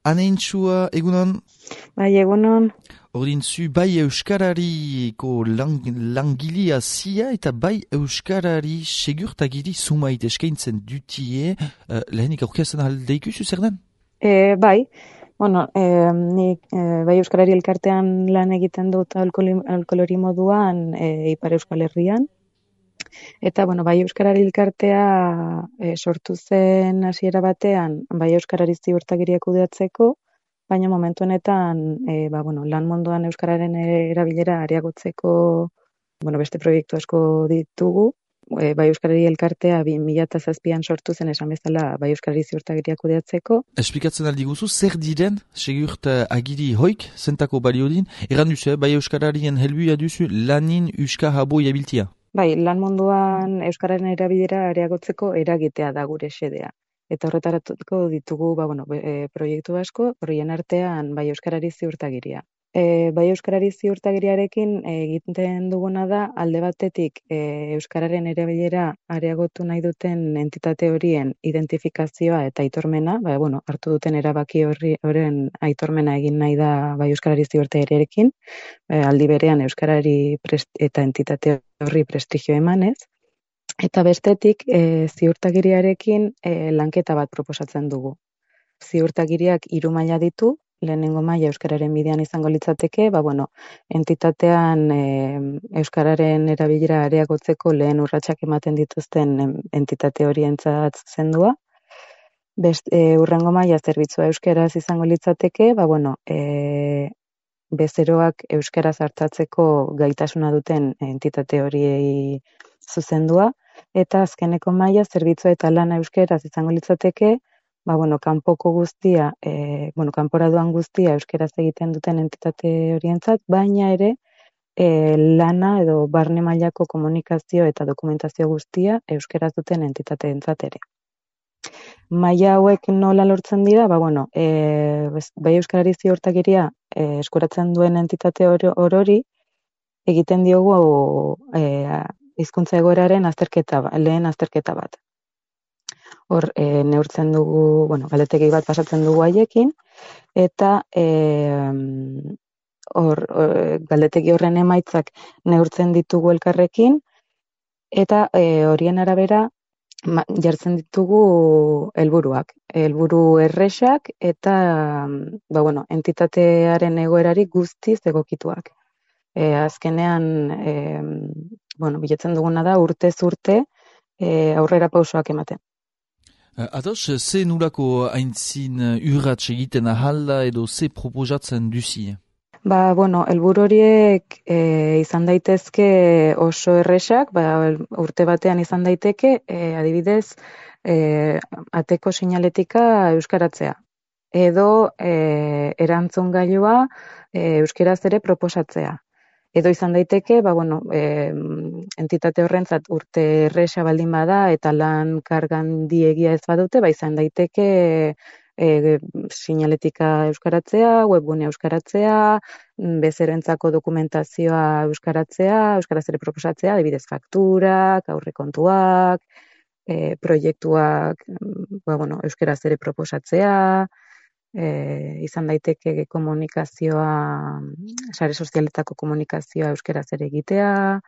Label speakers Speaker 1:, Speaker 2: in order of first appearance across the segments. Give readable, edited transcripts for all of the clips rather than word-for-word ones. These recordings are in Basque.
Speaker 1: Aneintxua, egunon?
Speaker 2: Bai, egunon.
Speaker 1: Ordintzu, bai euskarariko langilia zia eta bai euskarari segurtagiri sumait eskaintzen dutie, lehenik aurkezten aldeikuzu zer den?
Speaker 2: Bai, bueno, nik bai euskarari elkartean lan egiten dut alkolori moduan Ipar Euskal Herrian. Eta, bueno, bai euskarari elkartea sortu zen hasiera batean, bai euskarari ziurtagiriak kudeatzeko, baina momentu honetan, lan munduan euskararen erabilera areagotzeko, beste proiektu asko ditugu. Bai euskarari elkartea 2007an sortu zen esan bezala bai euskarari ziurtagiriak kudeatzeko.
Speaker 1: Esplikatzen aldi guzu, zer diren segurtagiri hoik, zentako baliodin, erran duzu, bai euskararien helbuia duzu lanin euskara boi abiltia?
Speaker 2: Bai, lan munduan euskararen erabilera areagotzeko eragitea da gure xedea. Eta horretaratuko ditugu proiektu asko, horien artean bai euskarari ziurtagiria. Bai euskarari ziurtagiriarekin egiten duguna da alde batetik euskararen erabilera areagotu nahi duten entitate horien identifikazioa eta aitormena, hartu duten erabaki horren aitormena egin nahi da bai euskarari ziurtagiriarekin, aldi berean euskarari eta entitate horri prestigio emanez. Eta bestetik, ziurtagiriarekin lanketa bat proposatzen dugu. Ziurtagiriak 3 maila ditu, lehenengo maila euskararen bidean izango litzateke, entitatean euskararen erabilera areagotzeko lehen urratsak ematen dituzten entitate horientzat zuzendua. Hurrengo maila zerbitzua euskaraz izango litzateke, bezeroak euskaraz artatzeko gaitasuna duten entitate horiei zuzendua, eta azkeneko maila zerbitzua eta lana euskaraz izango litzateke, kanpoko guztia, kanpora doan guztia euskaraz egiten duten entitate horientzat, baina ere lana edo barne mailako komunikazio eta dokumentazio guztia euskaraz duten entitateentzat ere. Maila hauek nola lortzen dira? Bai euskarari ziurtagiria eskuratzen duen entitate orori egiten diogu hizkuntza egoeraren lehen azterketa bat. Hor, neurtzen dugu, galdetegi bat pasatzen dugu haiekin, eta galdetegi horren emaitzak neurtzen ditugu elkarrekin, eta horien arabera jartzen ditugu helburuak. Helburu erresak eta entitatearen egoerari guztiz egokituak. Azkenean, bilatzen duguna da urtez urte aurrera pausoak ematen.
Speaker 1: Ados, ze nulako aintzin urratz egiten ahalda edo ze proposatzen duzi?
Speaker 2: Helburu horiek izan daitezke oso erresak, urte batean izan daiteke, adibidez, ateko sinaletika euskaratzea. Edo erantzun gailua euskaraz ere proposatzea. Edo izan daiteke, entitate horrentzat urte erresa baldin bada eta lan kargan diegia ez badute, izan daiteke sinaletika euskaratzea, webgune euskaratzea, bezeroentzako dokumentazioa euskaratzea, euskaraz ere proposatzea, adibidez fakturak, aurrekontuak, proiektuak, euskaraz ere proposatzea, izan daiteke komunikazioa, sare sozialetako komunikazioa euskaraz ere egitea,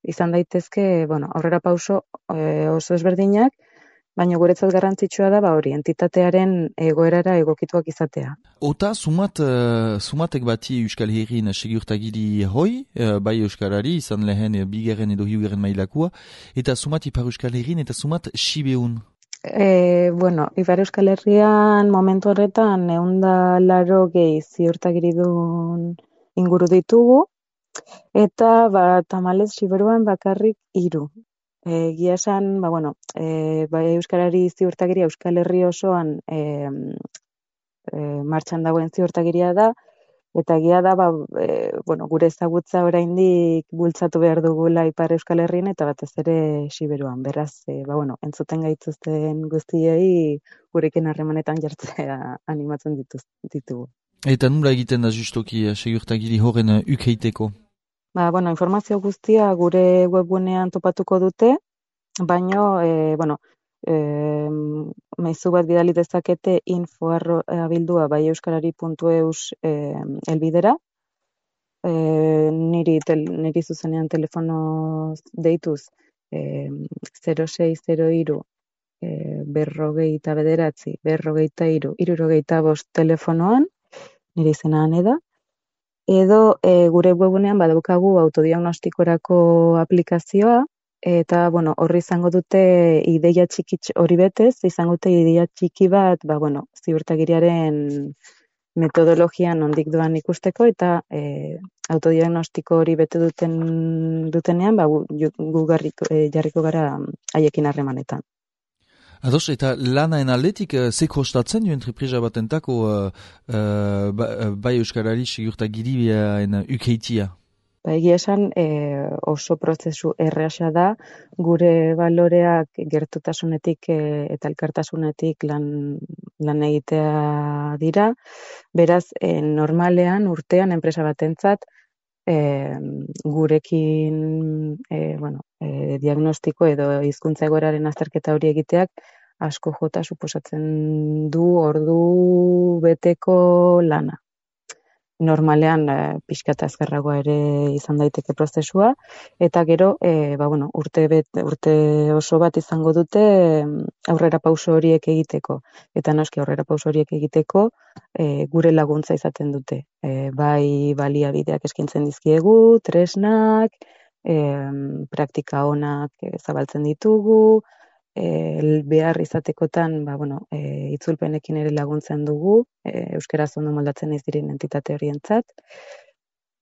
Speaker 2: izan daitezke, aurrera pauso oso ezberdinak, baina guretzat garrantzitsua da hori, entitatearen egoerara egokituak izatea.
Speaker 1: Ota, sumatek bati Euskal Herrin segurtagiri hoi, bai euskarari, izan lehen bigarren edo hiugarren mailakua, eta sumat Ipar Euskal Herrin eta sumat Sibeun.
Speaker 2: Ipar Euskal Herrian momentu horretan 180 ziurtagiridun inguru ditugu, eta tamalez Siberuan bakarrik 3. Egia esan, euskarari ziurtagiria Euskal Herri osoan martxan dagoen ziurtagiria da, eta egia da, gure ezagutza oraindik bultzatu behar dugula Ipar Euskal Herrian eta batez ere Siberuan. Beraz, entzuten gaituzten guztiei gurekin harremanetan jartzea animatzen ditugu.
Speaker 1: Eta nula egiten da justoki segurtagiri horren ukeiteko?
Speaker 2: Informazio guztia gure webgunean topatuko dute, baino, Maizu bat bidali dezakete info@abilduabaieuskarari.eus elbidera. Niri zuzenean telefono deituz 0603 59 73 telefonoan, nire izena Ane da, edo gure webunean badaukagu autodiagnostikorako aplikazioa, eta horri izango dute ideia txiki hori betez, izango dute ideia txiki bat, ziurtagiriaren metodologian nondik doan ikusteko, eta autodiagnostiko hori bete dutenean, gu jarriko gara haiekin harremanetan.
Speaker 1: Ados, eta lanaen aldetik, ze kostatzen du entreprisa batentako bai euskarari segurtagiriaren ukeitia?
Speaker 2: Egia esan oso prozesu erraza da, gure baloreak gertutasunetik eta elkartasunetik lan egitea dira. Beraz, normalean urtean enpresa batentzat gurekin diagnostiko edo hizkuntza egoeraren azterketa hori egiteak asko jota suposatzen du ordu beteko lana. Normalean pixka eta azkarragoa ere izan daiteke prozesua, eta gero urte oso bat izango dute aurrera pauso horiek egiteko. Eta noski aurrera pauso horiek egiteko gure laguntza izaten dute. Bai baliabideak eskintzen dizkiegu, tresnak, praktika onak zabaltzen ditugu, behar izatekotan itzulpenekin ere laguntzen dugu, euskaraz ondo moldatzen ez diren entitate horientzat,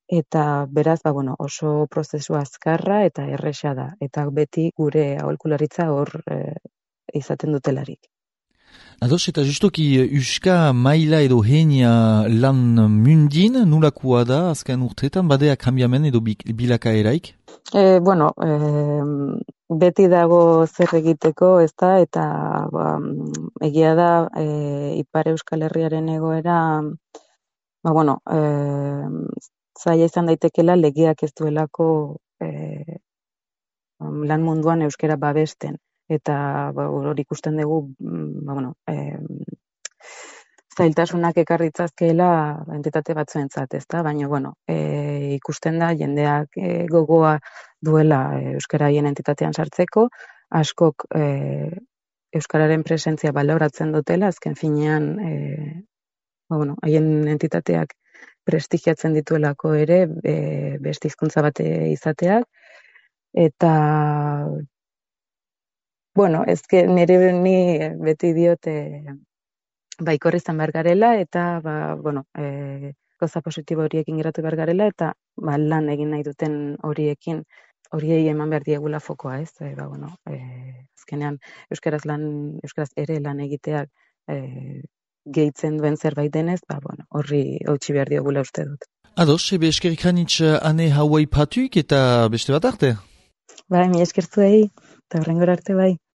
Speaker 2: eta beraz oso prozesu azkarra eta erresa da, eta beti gure aholkularitza hor izaten dutelarik.
Speaker 1: Ados, eta justoki euska maila edo henia lan mundin, nulakoa da azken urteetan, badea kambiamen edo bilakaeraik?
Speaker 2: Beti dago zer egiteko, ez da, eta egia da Ipar Euskal Herriaren egoera, zaila izan daitekela legeak ez duelako lan munduan euskara babesten, eta hori ikusten dugu, zailtasunak ekarritzazkeela entitate batzuentzat, ez da, baina ikusten da jendeak gogoa duela euskaraien entitatean sartzeko, askok euskararen presentzia baloratzen dutela, azken finean haien entitateak prestigiatzen dituelako ere beste hizkuntza bat izateak, eta ni beti diote baikor izan behar garela, eta gauza positibo horiekin geratu behar garela, eta lan egin nahi duten horiei eman behar diegula fokoa, ez? Azkenean euskaraz ere lan egiteak gehitzen duen zerbait denez, horri hautsi behar diegula uste dut.
Speaker 1: Ados, ebe eskerrik hanitz Ane hauai patuik eta beste bat arte?
Speaker 2: Mi eskertzuei, eta horrengora arte bai.